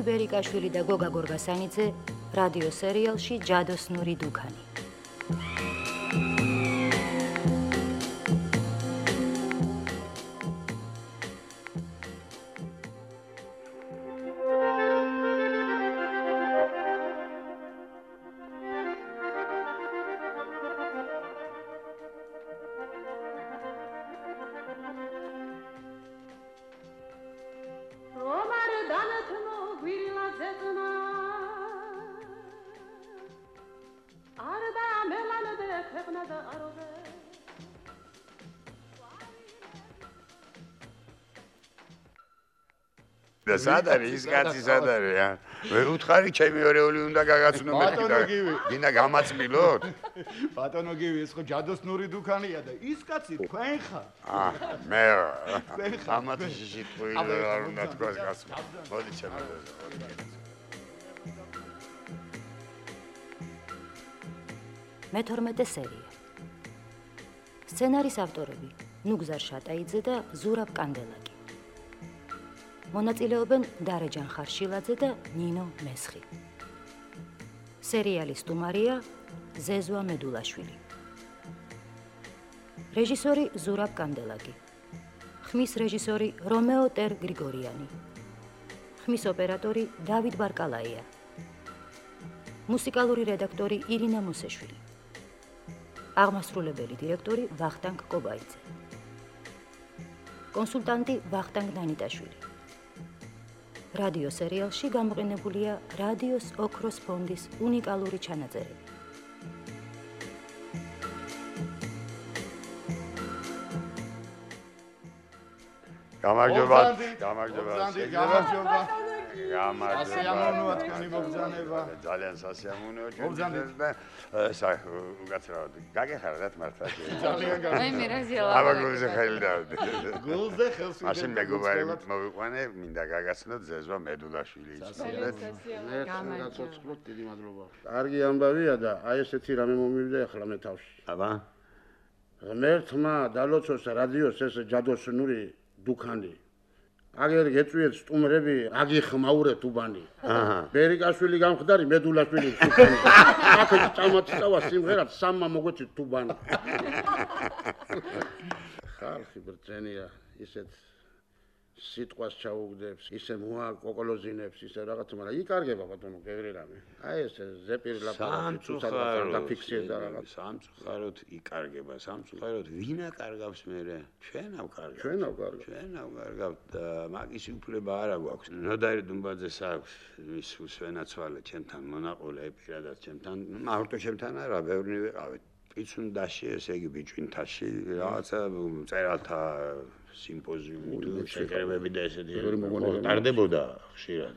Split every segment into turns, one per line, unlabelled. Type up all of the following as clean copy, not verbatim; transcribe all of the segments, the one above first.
გიორგი ბერიკაშვილი და გოგა გორგასანიძე რადიო სერიალში ჯადოსნური დუქანი.
სადარი ის კაცი სადარია? ვერ უთხარი ჩემი ორეული უნდა გაგაცნო მეთქი და გინდა გამაწმილოთ?
ბატონო გივი ეს ხო ჯადოსნური დუქანია და ის კაცი თქვენ ხარ?
მე ამათი შიტყვი არ უნდა თქვას გასმა. მოდი ჩემო.
მე-12 სერია. სცენარის ავტორები ნუგზარ შატაიძე და ზურაბ კანდელაკი. მონაწილეობენ დარეჯან ხარშილაძე და ნინო მესხი. სერიალის სტუმარია ზეზვა მედულაშვილი. რეჟისორი ზურაბ კანდელაკი. ხმის რეჟისორი რომეო ტერ გრიგორიანი. ხმის ოპერატორი დავით ბარკალაია. მუსიკალური რედაქტორი ირინა მოსეშვილი. აღმასრულებელი დირექტორი ვახტანგ კობაიძე. კონსულტანტი ვახტანგ დანიტაშვილი. რადიო სერიალში გამოყენებულია რადიოს ოქროს ფონდის უნიკალური ჩანაწერები.
გამარჯობა.
სასიამოვნოა თქვენი მოგზანება.
ძალიან სასიამოვნოა ჩვენთვის და უკაცრავად გაგეხარდათ მართლა.
ძალიან გამარჯობა.
აი მე რაზელა.
აბა გულზე ხელი დავდე.
გულზე ხელს ვიდე.
მაშინ მეგობარი მოვიყვანე, მინდა გაგაცნოთ ზეზვა მედულაშვილი იცოდეთ.
გაცოცხლოთ, დიდი მადლობა. კარგი ამბავია და აი ესეთი რამე მომივიდა ახლა მე თავში.
აბა.
ღმერთმა დალოცოს რადიოს ეს ჯადოსნური დუქანი. აგერ გეწვიეთ სტუმრები, აგიხმაურეთ უბანი. ბერიკაშვილი გამხდარი, მედულაშვილი დუქანი. აქ წამოწავა სიმღერად სამმა მოგვეცით თუბანი. ხალხი ბრძენია, ისეთ სიტყვას ჩაუგდებს, ისე მოა კოკოლოზინებს, ისე რაღაც, მაგრამ იკარგება ბატონო, გეგრი რამე. აი ეს ზეპირლაპარაკი თუცადღა დაფიქსირდა და რაღაც.
სამწუხაროდ იკარგება, სამწუხაროდ ვინ აკარგავს მერე? ჩვენ ავკარგავთ.
ჩვენ ავკარგავთ.
ჩვენ ავკარგავთ და მაგის უფლება არა გვაქვს. ნოდარი დუმბაძეს აქვს ის უსვენაცვალე ჩემთან მონაყოლე პირადად ჩემთან, მარტო ჩემთან არა, ბევრი ვიყავით. პიცუნდაში, ესე იგი ბიჭვინთაში, რაღაცა წერალთა სიმპოზიუმი თუ შეკრებები და ესეთი ტარდებოდა ხშირად.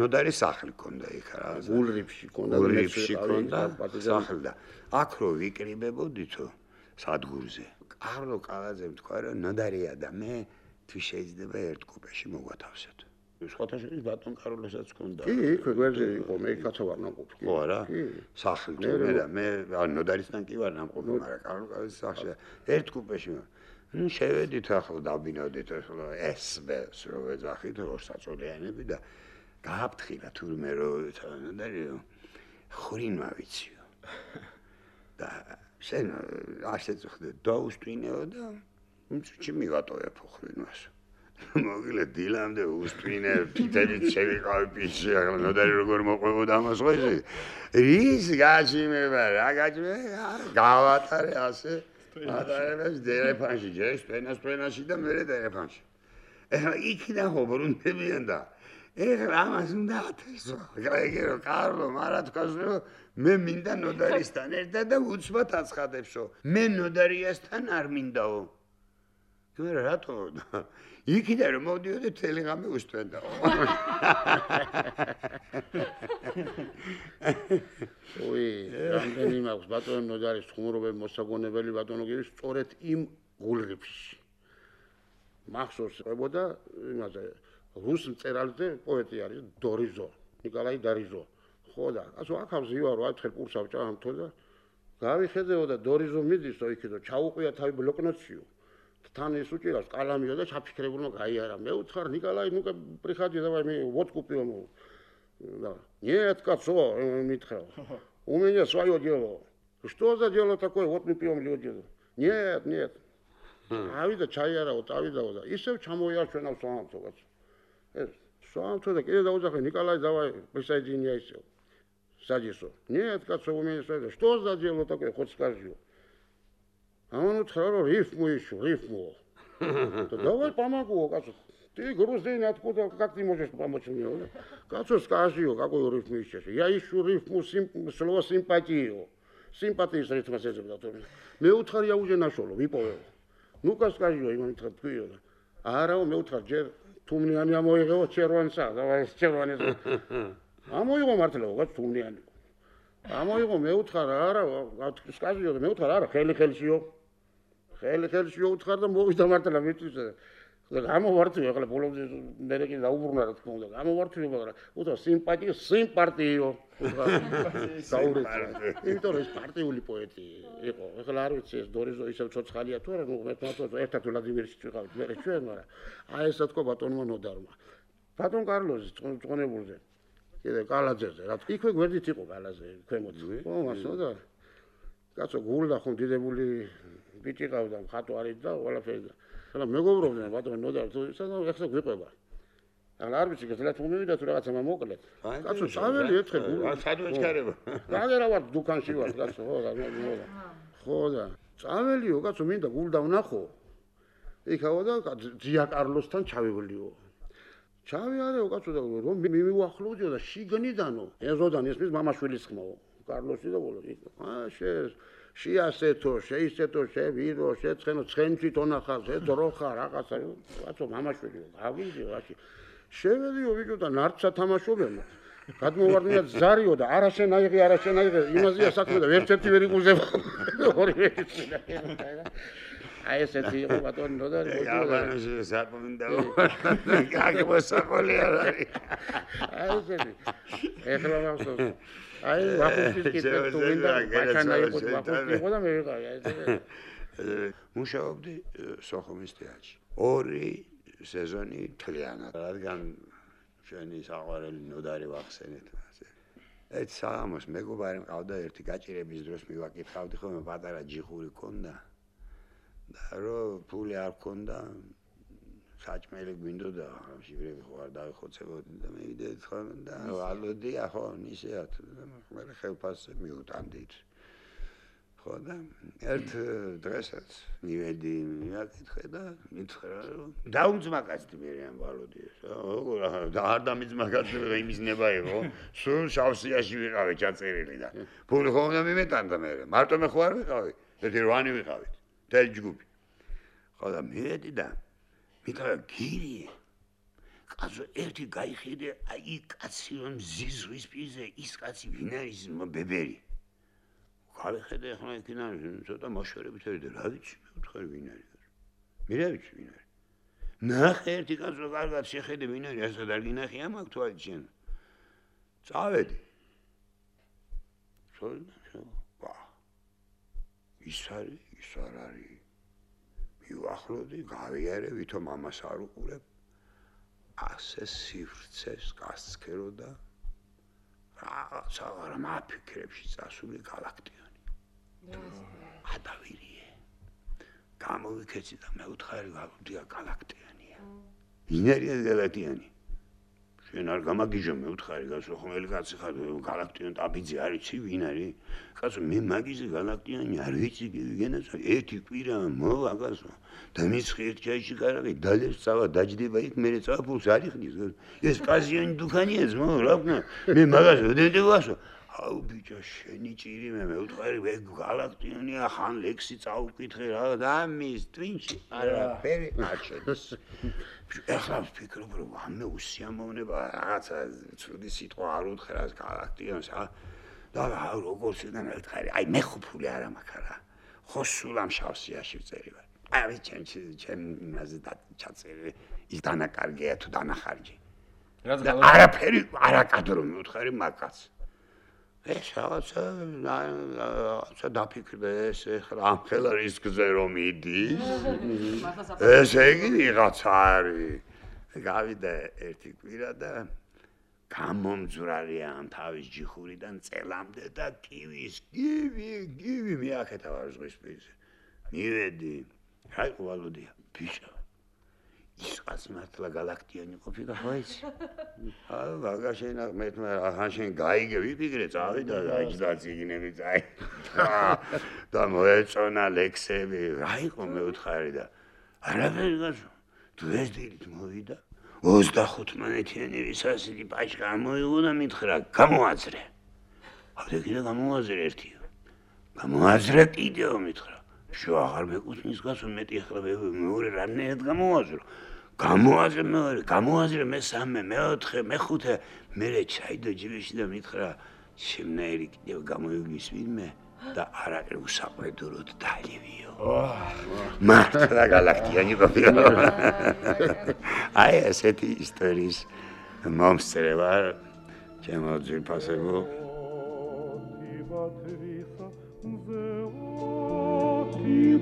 ნოდარი სახლი ქონდა იქ რა.
გულრიფში ქონდა,
სახლი და აქ რო ვიკრიბებოდითო სადგურზე. კარლო კალაძემ თქვა რომ ნოდარია და მე თუ შეიძლება ერთ კუპეში მოგვათავსეთ. სხვათა შორის ბატონ კარლოსაც ქონდა.
კი, გვერდზე იყო, მე კაცო ვარ ნამყოფი.
ხო არა? სახლი თუ მე ნოდარისთან კი ვარ ნამყოფი, მაგრამ კარლო კალაძის სახლში ერთ კუპეში ნუ შევედით ახლა დაბინავდით ახლა ესბეს რო ეძახით რო საწოლიანები და გააფრთხილა თურმე რო ნოდარი ხვრინმა ვიციო. და შენ ასეც ხდე დაუსტვინეო და მწუჩი მივატოვებ ხვრინვას. მოგილე დილამდე უსტვინე თითებით შევიყავი პიჩი ახლა ნოდარი როგორ მოყვებოდა ამას ხო ისი? რის გაჩიმება რა გაჩიმება გავატარე ასე ატარებს დერეფანში, ჯერ სპენაში და მერე დერეფანში. ეხლა იქიდან ხო ბრუნდებიან და ეხლა ამას უნდა ათესო. ეგერო კარლო მარა თქვას რომ მე მინდა ნოდარისთან ერთად და უცბად აცხადებსო. მე ნოდარიასთან არ მინდაო. თუმცა რატო? იქიდან რომ მოვდიოდი მთელი ღამე უსტვენდაო.
ой, რამდენი მაქვს ბატონო ნოდარის ხუმრობები მოსაგონებელი ბატონო გირის სწორედ იმ გულრიფში. მახსოვს ყვებოდა იმაზე რუს მწერალზე პოეტი არის დორიზო, ნიკოლაი დარიზო. ხო და ასო აქავს ივარო ათხელ პურს ავჭამთო და გავიხედეო და დორიზო მიდისო იქედო ჩაუყვია თავი ბლოკნოტშიო. თან ის უჭირავს კალამიო და ჩაფიქრებულმა გაიარა. მე უთხარ ნიკოლაი, ну-ка приходи, давай мы водку пьем. Да. Нет, кацо, митхал. У меня свое дело. Что за дело такое? Вот мы пьем люди. Нет, нет. ავიდა ჩაიარაო, წავიდაო და ისევ ჩამოიარჩვენავს სვამთო კაცო. ეს სვამთო და კიდე დაუძახე ნიკოლაი, давай, присоединяй всё. Садисо. Нет, кацо, у меня свое. Что за дело такое? Хоть скажи. А он утро рифму ищу, рифму. Да давай помогу, кацо. Ты грузин, откуда, как ты можешь помочь мне? Кацо, скажи, какую рифму ищешь? Я ищу рифму, слово симпатию. Симпатию с рифмой сезебда. Мне утро я уже нашел, выповел. Ну-ка скажи, имам тквио. Арау მე უთხრა ჯერ თუმნიანი ამოიღო ჩერვანსა, давай ჩერვანის. ამოიღო მართლა, ვაც თუმნიანი. ამოიღო მე უთხრა არა, скажи, მე უთხრა არა, ხელი-ხელშიო. ხელი-ხელშიო უთხრა და მოვიდა მართლა მიწვის. და გამოვართვი ახლა ბოლომდე მე კი დაუბრუნა რა თქმა უნდა. გამოვართვი მაგრამ უთხრა სიმპათიო, სიმპარტიო. საურეცი. იმიტომ რომ ეს პარტიული პოეტი იყო. ახლა არ ვიცი ეს დორიზო ისევ ცოცხალია თუ არა, ნუ მე თვითონ ერთად ვლადიმირში ვიყავით მე ჩვენ, მაგრამ აი ესა თქო ბატონმა ნოდარმა. ბატონ კარლოსი წონებულზე. კიდე კალაძეზე, რა თქმა იქვე გვერდით იყო კალაძე, ქვემოთ. ო მასო და კაცო გულდა ხომ დიდებული ბიჭი ყავდა, ხატო არის და ყველაფერი. ახლა მეგობრობდნენ ბატონ ნოდარ თუ სანამ ეხლა გვიყვება. ახლა არ ვიცი გეძლათ მომივიდა თუ რაღაცა მოკლედ. კაცო წაველი ერთხელ გულ.
სად ვეჩქარება?
რაგერა ვარ დუქანში ვარ კაცო, ხო და მე. ხო და წაველიო კაცო მინდა გულდა ვნახო. იქავა და ძია კარლოსთან ჩავივლიო. ჩავიარეო კაცო და რომ მივუახლოვდიო და შიგნიდანო ეზოდან ესმის მამაშვილის ხმაო. კარლოსი და ბოლო. აა შეასეთო, შეისეთო, შევირო, შეცხენო, ცხენში თონახა, ზედროხა, რაღაცა. კაცო მამაშვილიო, გავიდიო რაში. შევედიო ვიდიო და ნარჩა თამაშობენ. გადმოვარდნია ზარიო და არაშენაიღე, იმაზეა საქმე და ვერცერთი ვერ იგუზება. ორივე ისინა. აი ესეთი იყო ბატონ ნოდარი მოიძულა.
აი საკმინდა. გაგმოსაყოლი არის.
აი ესეთი. ეხლა მახსოვს. აი ვახუშტის კიდე თუ მინდა ბაჩანა იყო ვახუშტი იყო და მე ვიყავი აი ესე.
მუშაობდი სოხუმის თეატრში. 2 სეზონი თლიანად. რადგან ჩვენი საყვარელი ნოდარი ვახსენეთ ასე. ეს სამოს მეგობარი მყავდა ერთი გაჭირების დროს მივაკითხავდი ხოლმე პატარა ჯიხური ქონდა. და რო ფული არ ქონდა საჭმელი გვინდოდა ჟივრები ხო არ დავიხოცებოდი და მე ვიდედი ხოლმე და ალოდია ხო ისეათ მე ხელფასზე მიუტანდით ხო და ერთ დღესაც მივედი მივაკითხე და მითხრა რომ დაუმძმაკაცდი მე ამ ვალოდიეს და არ დამიძმაკაცდი იმის ნება იყო სულ შავსიაში ვიყავი ჩაწერილი და ფული ხომ და მიმეტანდა მე მარტო მე ხო არ ვიყავი ერთი 8 ვიყავით თელ ჯგუფი ხო და მივედი და მითხრა გირი კაცო ერთი გაიხედე აი კაცი რომ ზიზვის პირზე ის კაცი ვინ არის ბებერი გავიხედე ახლა იქიდან ცოტა მოშორებით ერიდე რა ვიცი მე ვთხარი ვინ არის მე რა ვიცი ვინ არის ნახე ერთი კაცო კარგად შეხედე ვინ არის ასა და გინახი ამაკ თვალით შენ წავედი ვა ის არ არის მივახლოვდი გავიარე ვითომ ამას არ უყურებ ასე სივრცეს გასცქერო და რაღაცა არ მაფიქრებში წასული galaktioni ადავირიე გამოვიქეცი და მე ვთხარი გავდია galaktionia ვინ არის galaktioni შენ არ გამაგიჟო მე ვთხარი გასო ხმელი კაცი ხარ galaktion ტაბიძე არ იცი ვინ არის კაცო მე მაგიზე galaktioni არ ვიცი გენაც ერთი კვირა მოვა კაცო და მის ხერთ ჩაიში კარგი დალეს წავა დაჯდება იქ მე წავა ფულს არ იხდის ეს პაზიონი დუქანია ზმო რა ვქნა მე მაგას ვდენდი ვასო აუ ბიჭო შენი ჭირი მე ვთხარი მე galaktionia ხან ლექსი წაუკითხე რა და მის twinში არაფერი არ შედის ეხლა ვფიქრობ რომ ამე უსიამოვნება რაღაცა ცუდი სიტყვა არ უთხრას galaktionს და როგორც ისედან ვთხარი აი მე ხო ფული არ მაქვს რა ხო სულ ამ შავსიაში ვწერი ვარ აი ჩემ იმაზე ჩაწერე ის დანაკარგეა თუ დანახარჯი არაფერი არაკადრო მივთხარი მაგაც ეს რაღაცა დაფიქრდეს ეხლა ამ ხელა რისკზე რომ იდის. ესე იგი ვიღაცა არის. გავიდა ერთი კვირა და გამომძვრალია ამ თავის ჯიხურიდან წელამდე და გივი მიაკეთა ვარ ზღვის პირზე. მივედი. აი ყვალოდია, ბიჭო. ის კაცი მართლა galaktiani ყოფილი ხო იცი? ვაგაშენა მე შენ გაიგე ვიფიქრე წავიდა და ციგნები წაი. და მოეწონა ლექსები, რა იყო მეუთხარი და არაფერი გასო. თუ ეს დილით მოვიდა 25-მანეთიანი რისასილი პაჭკა მოიღო და მითხრა გამოაძრე. აბა კიდე გამოაძრე ერთიო. გამოაძრე კიდეო მითხრა. შო აღარ მეკუთვნის გასო მეტი ახლა მეორე რანაირად გამოაძრო. გამოაძრე მესამე, მეოთხე, მეხუთე, მერე ჩაიდო ჯიბეში და მითხრა შემნაირი კიდევ გამოიგვის ვინმე და არაყი უსაყვედუროდ დალივიო. მართლა galaktiani ყოფილა. აი ესეთი ისტორიის მომსწრე ვარ ჩემო ძვირფასებო.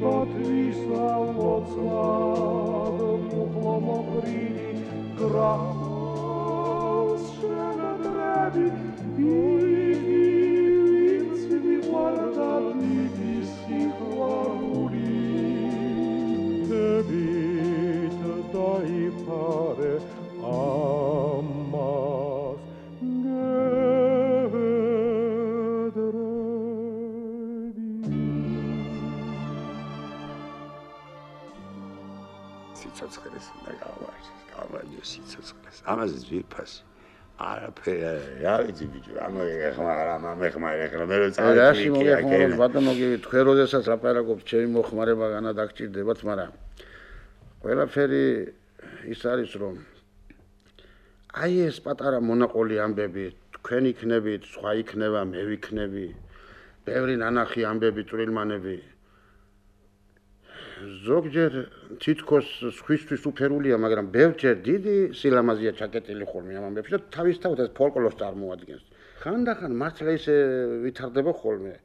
Batwisa mocno mokri gras shanadradi i guarda di si guaruli debit dai pare amas
სიცოცხლეს და გავაჟე სიცოცხლეს. ამაზე ძვირფასი. არაფერი, რა ვიცი ბიჭო, ამეხმარა ეხლა მე რო
წავიდი კი ბატონო გივი თქვენ როდესაც აპარაკობთ ჩემი მოხმარება განადაგჭირდებათ, მაგრამ ყველაფერი ის არის რომ აი ეს პატარა მონაყოლი ამბები თქვენ იქნებით, სხვა იქნება, მე ვიქნები, ბევრი ნანახი ამბები, წვრილმანები ზოგჯერ თითქოს სხვისთვის უფერულია, მაგრამ ბევრჯერ დიდი სილამაზეა ჩაკეტილი ხოლმე ამ ამბებში და თავისთავად ეს ფოლკლორს წარმოადგენს. ხანდახან მართლა ისე ვითარდება ხოლმე.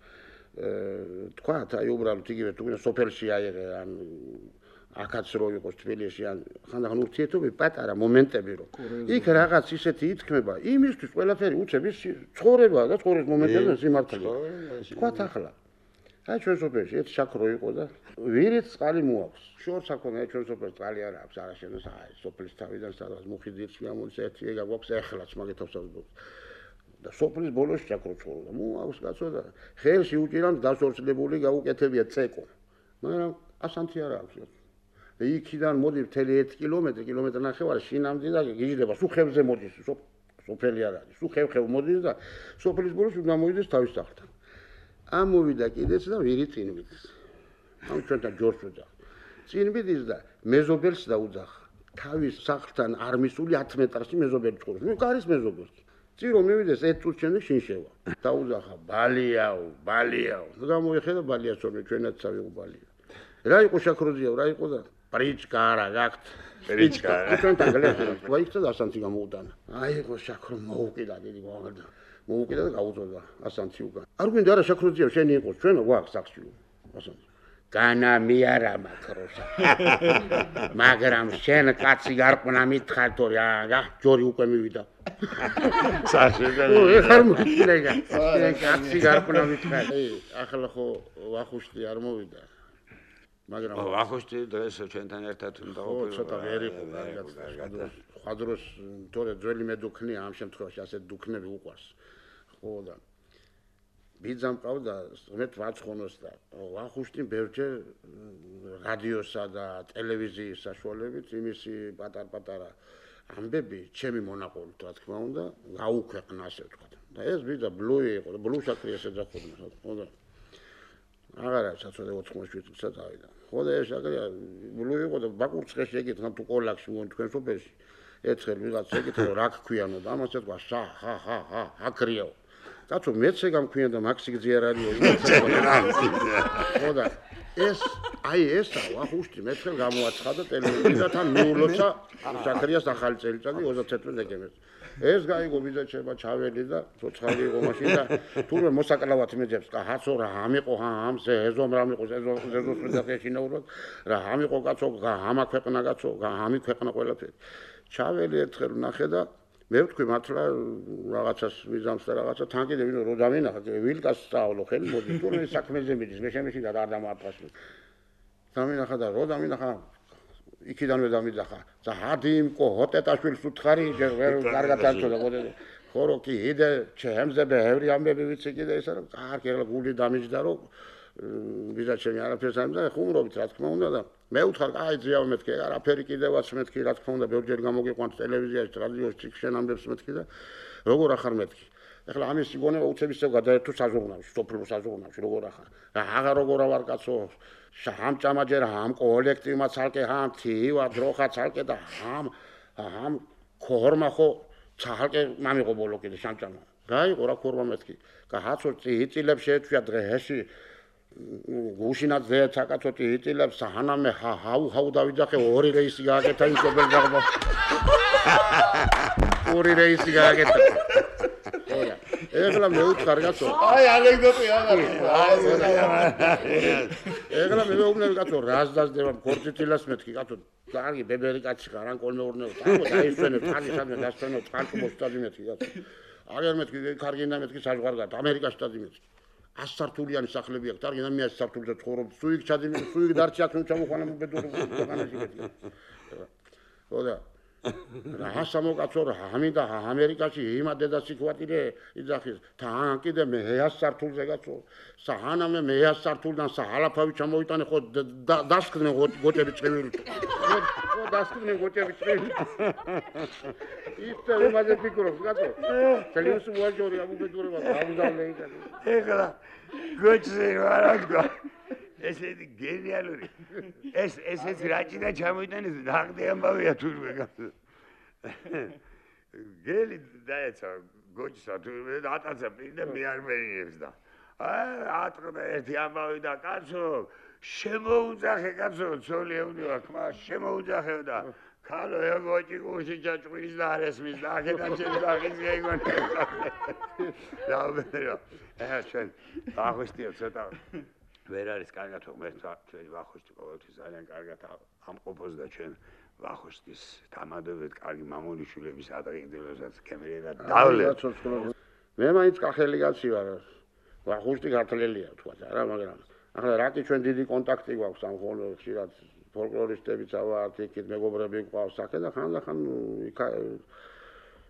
თქვათ, აი უბრალოდ იგივე თუ გინდა სოფელში აიღე ან აქაც რო იყოს თბილისში ან ხანდახან ურთიერთობები პატარა მომენტები რო. იქ რაღაც ისეთი ითქმება, იმისთვის ყველაფერი უცებ ის ცხოვრება და ცხოვრების მომენტები სიმართლეა. თქვათ ახლა აი ჩვენ სოფელში ერთ შაქრო იყო და ვირით წყალი მოაქვს. შორს აქონა ჩვენ სოფელში წყალი არ აქვს, არა შენს აი სოფლის თავიდან სადღაც მუხიდირში გამოდის ერთი ეგ აქვს ეხლაც მაგეთავსავ და სოფლის ბოლოს შაქრო ცხოვრობდა. მოაქვს კაცო და ხელში უჭირავს დასორცლებული გაუკეთებია წეკო. მაგრამ ასანთი არ აქვს. და იქიდან მოდი მთელი 1 კილომეტრი, კილომეტრი ნახევარი შინამდე და გიждდება, სუხევზე მოდის, სოფელი არ არის. სუხევ მოდის და სოფლის ბოლოს უნდა მოიდეს თავის სახლთან. ამოვიდა კიდეც და ვირი წინ მიდის. ამ ჩვენთან ჯორს ვეძახ. წინ მიდის და მეზობელს დაუძახა. თავის სახლთან არ მისული 10 მეტრში მეზობელი ცხოვრობს. ნუ კარის მეზობელი. წინ რომ მივიდეს 1 წუთს შემდეგ შინ შევა. დაუძახა ბალიაო. და გამოიხედა ბალიას რომ ჩვენაც წავიღო ბალია. რა იყო შაქროზიაო, რა იყო და პრიჩკა არა გაქვთ. პრიჩკა. ჩვენთან გლეხი. ვაიქცა და ასანთი გამოუტანა. აი იყო შაქრო მოუკიდა დიდი გვაღდა. მოუკიდა და გაუწოდა ასანთი უკან. არ გვინდა არა შაქროზიაო შენი იყოს ჩვენ გვაქვს სახში. ასანთი. განა მე არა მაქროშა. მაგრამ შენ კაცი გარყნა მითხარ თორე რა ჯორი უკვე მივიდა.
სახში.
ეხარ მოკილეგა. შენ კაცი გარყნა მითხარ. ახლა ხო ვახუშტი არ მოვიდა. მაგრამ
ვახუშტი დღეს ჩვენთან ერთად უნდა ყოფილიყო.
ცოტა ვერ იყო კარგად. სხვა დროს თორე ძველი მედუქნია ამ შემთხვევაში ასეთ დუქნები უყვარს. ხო და ბიძამ ყავდა ღმერთ ვაცხონოს და ვახუშტი ბევრჯერ რადიოსა და ტელევიზიის საშუალებით იმისი პატარ-პატარა ამბები ჩემი მონაყოლით რა თქმა უნდა გაუქვეყნა ასე ვთქვათ. და ეს ბიძა ბლუი იყო და ბლუ შაქრი ესე ძახობდა. ხო და აღარა საწოდე 87 წელს ავიდა. ხო და ეს შაქრია ბლუი იყო და ბაკურცხეში ეკითხა თუ კოლაქში მონ თქვენ სოფელში ერთხელ ვიღაც ეკითხა რა გქვიანო და ამას ეთქვა აკრიაო. კაცო მეც ეგ ამქვიან და მაქსი გზი არ არისო. ხო და ეს აი ესა ვახუშტი მეთხელ გამოაცხადა ტელევიზიიდან თან მიულოცა ზაქარიას ახალი წელიწადი 31 დეკემბერს. ეს გაიგო ბიძაჩება ჩაველი და ცოცხალი იყო მაშინ და თურმე მოსაკლავად მეძებს კა ჰაცო რა ამიყო ამ ზეზომ რა მიყო ზეზოს მეძახეშინაურად რა ამიყო კაცო ამა ქვეყნა კაცო ამი ქვეყნა ყველაფერი. ჩაველი ერთხელ ნახე და მე ვთქვი მართლა რაღაცას მიზამს და რაღაცა თან კიდე ვინო რო დავინახა ვილკას სწავლო ხელი მოდი თურმე საქმეზე მიდის მე შემეში და არ დამააფასე. დამინახა და რო დამინახა იქიდანვე დამიძახა და ჰადიმკო ჰოტეტაშვილს უთხარი ვერ კარგად არჩოდა ყოდე ხორო კი იდე ჩემზე ბევრი ამბები ვიცი კიდე ისა რომ კარგი ეგ გული დამიჯდა რომ ბიზაჩემი არაფერს ამდა ხუმრობით რა თქმა უნდა და მე ვთხარ აი ძიავ მეთქი არაფერი კიდევაც მეთქი რა თქმა უნდა ბევრჯერ გამოგიყვანთ ტელევიზიაში რადიოში ჩიქშენ ამბებს მეთქი და როგორ ახარ მეთქი ეხლა ამის სიგონება უცებისწევ გადაერთო საზღუნავში სოფლიო საზღუნავში როგორ ახარ რა აღარ როგორ ვარ კაცო შამ ჭამაჯერ ამ კოლექტივმა ცალკე ამ თივა დროხა ცალკე და ამ ქორმა ხო ცალკე მამიყო ბოლო კიდე შამჭამა რა იყო რა ქორმა მეთქი და ჰაცო წიწილებს შეეჩვია დღეში გუშინაც ზეცა კაცო წიწილებს ჰანამე ჰაუ დავიძახე ორი რეისი გააკეთა იმ კობელ დაღბა ორი რეისი გააკეთა ეხლა მე უთხარ კაცო
აი ანეკდოტი აღარ
ეხლა მე მეუბნები კაცო რას დასდება ქორწილას მეთქი კაცო კარგი ბებერი კაცი ხარ ან კოლმეურნეო დაისვენებ თალი სადმე დასვენებ წყალკო მოსტადი მეთქი კაცო აგერ მეთქი კარგი და მეთქი საზღვარგარეთ ამერიკაში დადი მეთქი 100 სართულიანი სახლები აქვს კარგი და 100 სართულზე ცხოვრობ სუიგ ჩადი სუიგ დარჩი აქ ჩამოყვანა მობედური ქვეყანაში მეთქი ხოდა რა სამოკაცო რა ამინდა ამერიკაში იმა დედას იქვატირე იძახის თან კიდე მე 100 სართულზე კაცო საჰანამე მე 100 სართულიდან საჰალაფავი ჩამოიტანე ხო დასკდნენ გოჭები წვილი ხო დასკდნენ გოჭები წვილი ისე იმაზე ფიქრობს კაცო თელევიზიო ვაჯორი ამუბედურება გავუდავლე იქ
ეხლა გოჭზე ვარაგა ესეთი გენიალური ესეც რაჭიდან ჩამოიტანეს ნახტი ამბავია თურმე გელი დაეცა გოჭსა თურმე ატაცა პირდა მე არ მერინებს და ატყდა ერთი ამბავი და კაცო შემოუძახე კაცო ცოლი ეუნივა ხმა შემოუძახე და ქალო ეგოჭი გუში ჩაჭრის და არესმის და აქედან შეძახის გეგონ დაუბერო ჩვენ ახოსტიო ცოტა ვერ არის კარგად მე ჩვენი ვახუშტი ყოველთვის ძალიან კარგად ამყოფოს და ჩვენ ვახუშტის თამადობთ კარგი მამონიშვილების ადრინდელოსაც კემერა დავლეთ
მე მაინც კახელი კაცი ვარ ვახუშტი ქართველია თქვა რა მაგრამ ახლა რაკი ჩვენ დიდი კონტაქტი გვაქვს ამ ხშირად ფოლკლორისტებიც ვართ იქით მეგობრები გვყავს სახე და ხან იქ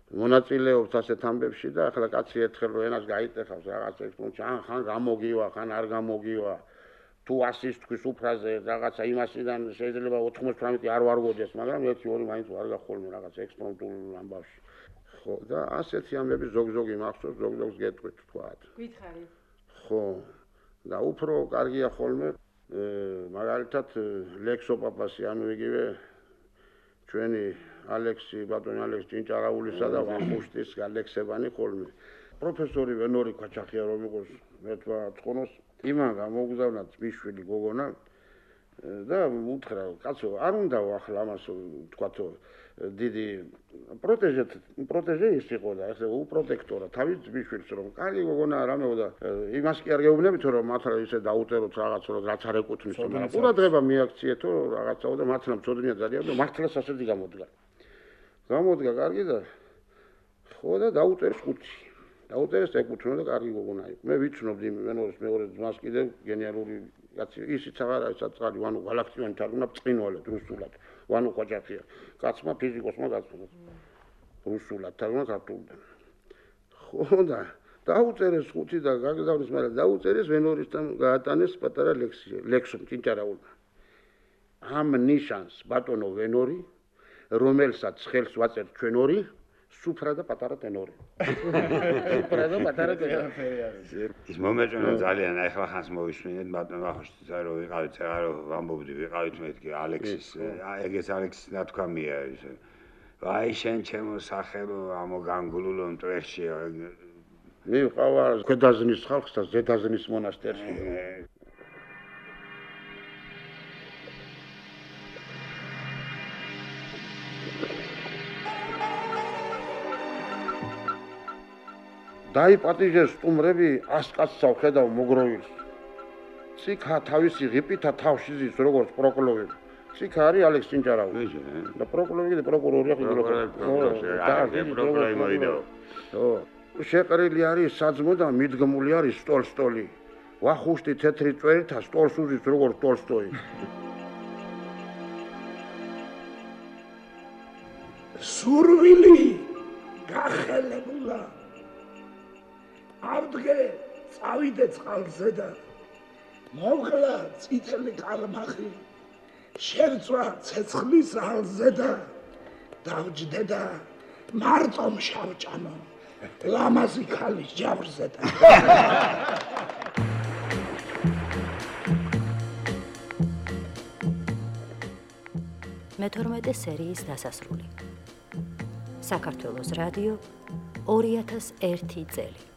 მონაწილეობს ასეთ ამბებში და ახლა კაცი ერთხელ რო ენას გაიტეხავს რაღაც ექსპონტში ხან გამოგივა ხან არ გამოგივა თუ ასის თქვის უფრაზე რაღაცა იმასიდან შეიძლება 98 არ ვარგოდეს მაგრამ 1-2 მაინც ვარ გახოლმე რაღაც ექსპონტულ ამბავში ხო და ასეთი ამბები ზოგ-ზოგი მახსოვს ზოგ-ზოგს გეტყვით თქვათ
გითხარი
ხო და უფრო კარგია ხოლმე მაგალითად ლექსო პაპასი ანუ იგივე ჩვენი ალექსი ბატონი ალექსი ჭინჭარაულისა და ვახუშტის გალექსებანი ხოლმე პროფესორი ვენორი ქაჩახია რომ იყოს მე თქვა ცხონოს იმან გამოგზავნა ძმისშვილი გოგონა და უთხრა კაცო არ უნდა ახლა ამას თქვათო დიდი პროტეჟე ის იყო და ესე უპროტექტორა თავის ძმისშვილს რომ კარგი გოგონა რამეო და იმას კი არ გეუბნებით რომ მართლა ისე დაუტეროთ რაღაც რომ რაც არ ეკუთვნის მაგრამ ყურადღება მიაქციეთო რაღაცაო და მართლა მწოდნია ძალიან და მართლა სასედი გამოდგა კარგი და ხო და დაუტერეს ხუთი დაუტერეს ეკუთვნო და კარგი გოგონა იყო მე ვიცნობდი ვენორის მეორე ძმას კიდევ გენიალური კაცი ისიც აღარ არის საწყალი ვანო გალაქტიონი თარგმნა წინვალად რუსულად ვანო ყაჭახია კაცმა ფიზიკოსმა გაწუხა რუსულად თარგმნა ქართულიდან ხო და დაუტერეს ხუთი და გაგზავნის მაგრამ დაუტერეს ვენორისთან გაატანეს პატარა ლექსო ჭინჭარაულმა ამ ნიშანს ბატონო ვენორი რომელსაც ხელს ვაწერთ ჩვენ ორი სუფრა და პატარა ტენორი. სუფრა და პატარა ტენორი.
ის მომეწონა ძალიან ახლა ხანს მოვისმინეთ ბატონ ვახუშტისა რომ ვიყავით აღარო ვამბობდი ვიყავით მეთქი ალექსის ეგეც ალექსის ნათქვამია ის. აი შენ ჩემო სახელო ამოგანგულულო მტვერში
მივყავარ ქვედაზნის ხალხს და ზედაზნის მონასტერში. დაიპატიჟეს სტუმრები 100 კაცსავ ხედავ მოგროვილს. ციქა თავისი ღიპითა თავში ზის როგორც პროკურორი. ციქა არის ალექს ჭინჭარავი. და პროკურორი და პროკურორია
პროკურორი მოიდაო.
შეყრილი არის საძმო და მიდგმული არის სტოლ-სტოლი. ვახუშტი თეთრი წვერითა სტოლს უზის როგორც ტოლსტოი.
სურვილი გახელებულა. ავდგე წავიდე წყალზე და მოვღლა წითელი კალმახი. შერწვა ცეცხლის ალზე და დავჯდე და მარტომ შავჭამო. ლამაზი ქალის ჯავრზე და
მე-12 სერიის დასასრული. საქართველოს რადიო 2001 წელი.